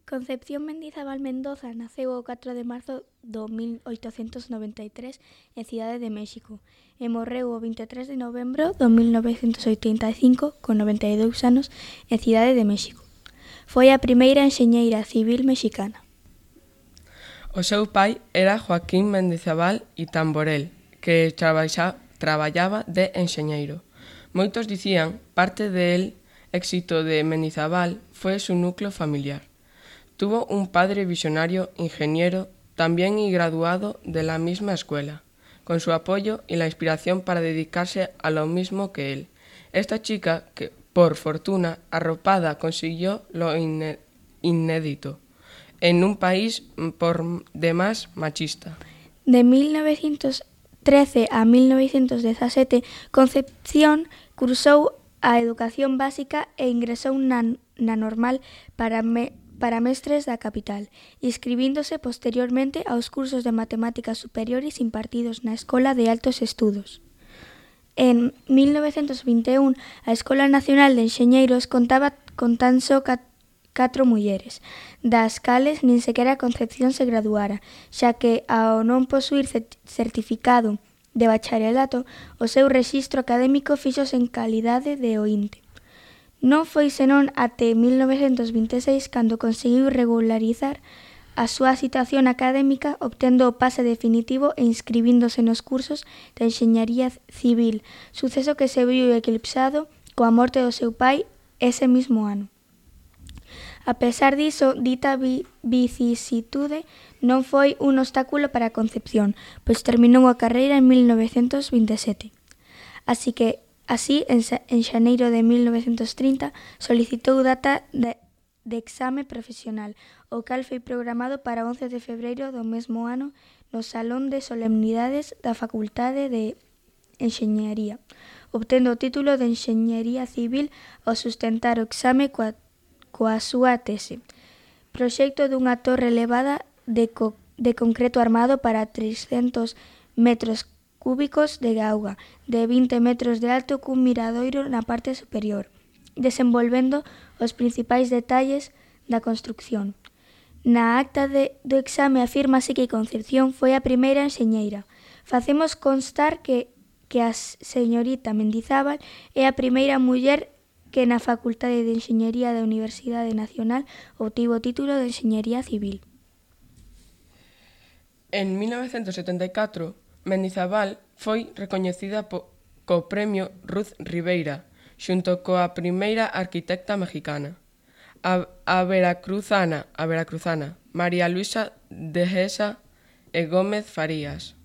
Concepción Mendizabal Mendoza naceu o 4 de marzo do 1893 en Cidade de México e morreu o 23 de novembro do 1985 con 92 anos en Cidade de México. Foi a primeira enxeñeira civil mexicana. O seu pai era Joaquín Mendizabal e Tamborel, que traballaba de enxeñeiro. Moitos dicían parte del éxito de Mendizabal fue su núcleo familiar. Tuvo un padre visionario, ingeniero, también y graduado de la misma escuela, con su apoyo y la inspiración para dedicarse a lo mismo que él. Esta chica, que por fortuna arropada consiguió lo inédito, en un país por demás machista. De 1913 a 1917, Concepción cursou a educación básica e ingresou na normal para mestres da capital, inscribíndose posteriormente aos cursos de matemáticas superiores impartidos na Escola de Altos Estudos. En 1921, a Escola Nacional de Enxeñeiros contaba con tan só 4 mulleres, das cales nin sequera Concepción se graduara, xa que, ao non posuír certificado de bacharelato, o seu rexistro académico fíxose en calidade de oínte. Non foi senón até 1926 cando conseguiu regularizar a súa situación académica obtendo o pase definitivo e inscribíndose nos cursos de enxeñaría civil, suceso que se viu eclipsado coa morte do seu pai ese mismo ano. A pesar diso, dita vicisitude non foi un obstáculo para Concepción, pois terminou a carreira en 1927. Así, en xaneiro de 1930, solicitou data de exame profesional, o cal foi programado para 11 de febreiro do mesmo ano no Salón de Solemnidades da Facultade de Enxeñaría, obtendo o título de Enxeñería Civil ao sustentar o exame coa súa tese. Proxecto dunha torre elevada de concreto armado para 300 metros cúbicos de auga, de 20 metros de alto cun miradoiro na parte superior, desenvolvendo os principais detalles da construcción. Na acta do exame afírmase que Concepción foi a primeira enxeñeira. Facemos constar que a señorita Mendizabal é a primeira muller que na Facultade de Enxeñería da Universidade Nacional obtivo o título de Enxeñería Civil. En 1974, Mendizabal foi recoñecida co Premio Ruth Ribeira, xunto coa primeira arquitecta mexicana, a veracruzana María Luisa Dehesa e Gómez Farías.